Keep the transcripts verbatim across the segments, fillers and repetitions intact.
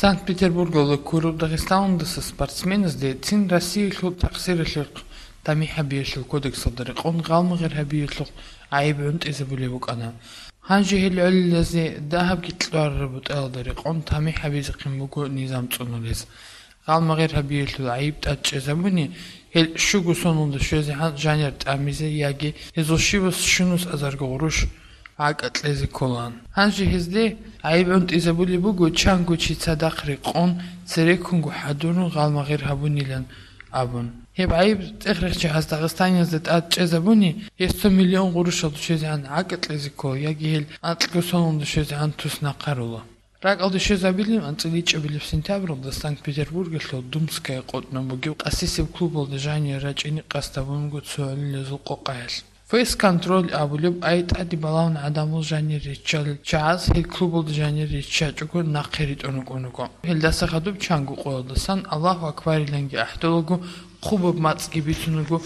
Санкт-Петербургалда ккураб Дагъистаналдаса спортсменазде цин Россиялъул такъсиралъухъ тамихӀ гьабиялъул кодексалда рекъон гъалмагъир гьабиялъухъ гӀайиб гӀунтӀизабулеб букӀана. Гьанже гьел гӀолилазе дагьабги кьварараб бутӀаялда рекъон тамихӀ гьабизехъин буго низам цӀунулез. Гъалмагъир гьабиялъул гӀайиб тӀадчӀезабуни, гьел щуго соналда щвезегӀан жанир тӀамизе яги гьезул щивас щунус азарго гъурущ гӀакӀа кьезе кколаан. Гьанже гьезде гӀайиб гӀунтӀизабулеб буго, чанго чи цадахъ рекъон, цереккунго хӀадурун гъалмагъир гьабунилан абун. Гьеб гӀайиб цӀехрехчагьаз Дагъистаниязда тӀадчӀезабуни, гьес цо миллион гъурущалда щвезегӀан гӀакӀа кьезе ккола яги гьел анкьго соналда щвезегӀан туснахъарула. РакӀалде щвезабилеб анцӀила ичӀабилеб сентябралда Санкт-Петербургалъул Думская къотӀнаб бугеб къасисеб клубалда жанир рачӀине къасд гьабун буго цо гӀолилазул къокъаялъ. Фейс-контроль абулеб ай тӀаде балагьун гӀадамал жанир риччалел чагӀаз гьел клубалда жанир риччачӀого нахъе ритӀун рукӀун руго. Гьелдаса хадуб чанго къоялдасан Аллагьу акбариланги ахӀдолаго хъубаб мацӀги бицун руго,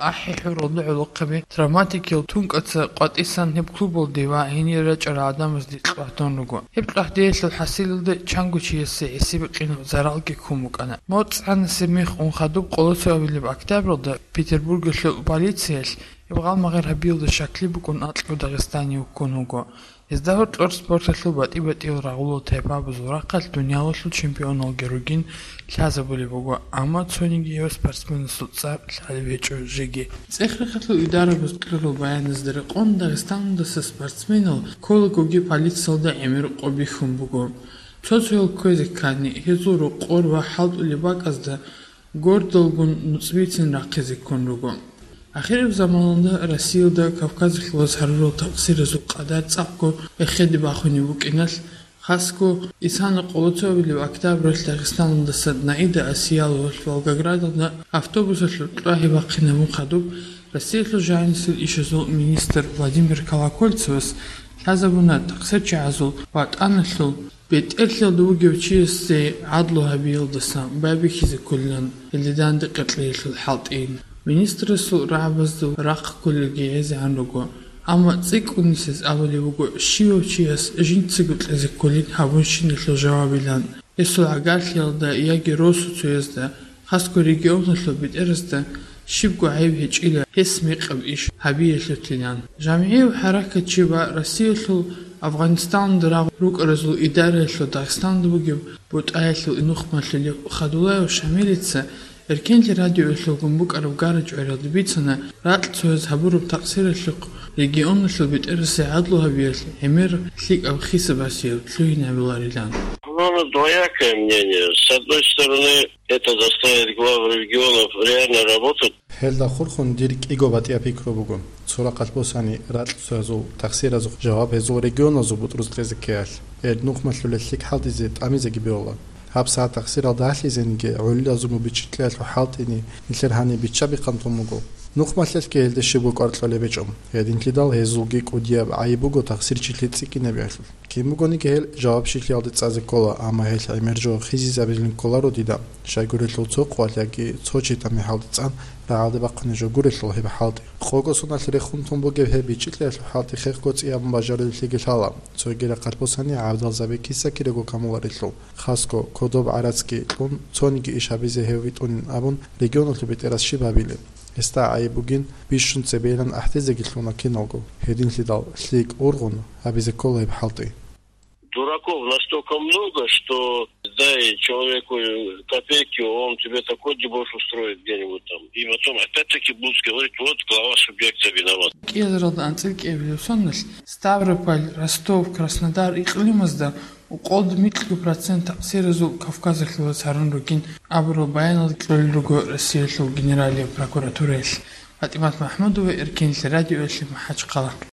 ахӀи-хӀуралда гӀолохъаби травматикиял тункӀаца къватӀисан гьеб клубалде ва гьенир рачӀарал гӀадамазде кьвагьдун руго. Гьеб кьвагьдеялъул хӀасилалда чанго чиясе гӀисиб къинаб заралги ккун букӀана. МоцӀ-гӀанасеб мех ун хадуб къоло цоабилеб октябралда Петербургалъул полициялъ гьеб гъалмагъир гьабиялда щаклъи букӀун анкьго дагъистанияв вуккун вуго. Гьезда гьоркьор спорталъул батӀи-батӀиял рагъулал тайпабазул рахъалъ дуниялалъул чемпионалги ругин лъазабулеб буго, амма цониги гьев спортсменасул цӀар лъалеб гьечӀо жеги. ЦӀехрехалъул идарабаз кьурал баяназда рекъон Дагъистаналдаса спортсменал кколагоги полициялда гӀемер къо бихьун буго. Цо-цоял кквезе ккани, гьезул рокъор ва хӀалтӀулеб бакӀазда гордалгун нуцӀбицин рахъизе ккун руго. Ахираб заманалда Россиялда Кавказалъулаз гьарурал такъсиразул къадар цӀакъго эхеде бахунеб букӀиналъ, хасго исана къоло цоабилеб октябралъ Дагъистаналдаса Наида Асияловалъ Волгоградалда автобусалъул кьвагьи бахъинабун хадуб, Россиялъул жагьилсил ишазул министр Владимир Колокольцевас лъазабуна такъсирчагӀазул ватӀаналъул бетӀерлъиялда вугев чиясе гӀадлу гьабиялдаса байбихьизе кколилан гьелде данде къеркьеялъул хӀалтӀи. Министрасул рагӀабазда рахъ кколелги гӀезегӀан руго, амма цӀикӀкӀун нилъеца абулеб буго, щивав чияс жинцаго кьезе кколин гьабунщиналъул жавабилан. Гьесул гӀагарлъиялда яги росуцоязда, хасго регионалъул бетӀерасда щибго гӀайиб гьечӀила гьес мекъаб иш гьабиялъулъилан. ЖамгӀияв хӀаракатчи ва Россиялъул Афгъанистаналда рагъ рукӀаразул идараялъул Дагъистаналда бугеб бутӀаялъул нухмалъулев Хадулаев Шамилица Эркенлъи радиоялъулгун букӀараб гара-чӀвариялда бицана, ракьцояз гьабураб такъсиралъухъ регионалъул бетӀерасе гӀадлу гьабиялъ гӀемер лъикӀаб хисабасияб лъугьин гьабиларилан. Ну, оно двоякое мнение. С одной стороны, это заставит глав регионов реально работать. Гьелда хурхун дир кӀиго батӀияб пикру буго. Цо рахъалъ босани, ракьцоязул такъсиразухъ жаваб гьезул регионазул бутӀруз кьезе ккеялъ, гьел нухмалъулел лъикӀ хӀалтӀизе тӀамизеги бегьула. Гьаб сагӀат такъсиралда ахӀизениги, гӀолилазул бучӀи-, бучӀиялъул хӀалтӀини нилъер гьаниб бичча-бихъан тун буго. Нухмалъелъги гьелде щибго кӀвар кьолеб гьечӀо. Гьединлъидал гьезулги кӀудияб гӀайиб буго такъсирчилъи цӀикӀкӀинабиялъул. Кин бугониги гьел жавабщиялде цӀазе ккола, амма гьелъ гӀемер жо хизизабилин кколаро дида, щайгурелъул цо къоялъ яги цо чи тамихӀалде цӀан рагӀалде бахъунеб жо гурелъул гьеб хӀалтӀи. Къого соналъ рехун тун бугеб гьеб бичӀчӀилъиялъул хӀалтӀи хехго цӀиябун бажарулелъиги лъала, цоги рахъалъ босани гӀабдал Забекиса кириго камуларелъул. Хасго, кодоб гӀарацги кьун, цониги иш гьабизе гьев витӀунин абун, регионалъул бетӀерас щиб гьабилеб? Гьесда гӀайиб бугин, бищун цебейилан ахӀдезеги лъуна киналго. Гьединлъидал лъикӀ ургъун гьабизе ккола гьеб хӀалтӀи. Дураков настолько много, что дай человеку копейки, он тебе такой дебош устроит где-нибудь там. И потом опять-таки будут говорить: «Вот глава субъекта виноват». КӀиазаралда анцӀила кӀиабилеб соналъ Ставрополь, Ростов, Краснодар икълимазда укъолда микьго процент такъсиразул Кавказалъулаз гьарун ругин абурал баянал кьолел руго Россиялъул Генералияб прокуратураялъ. ПатӀимат МахӀмудова, Эркенлъи радиоялъе, МахӀачхъала.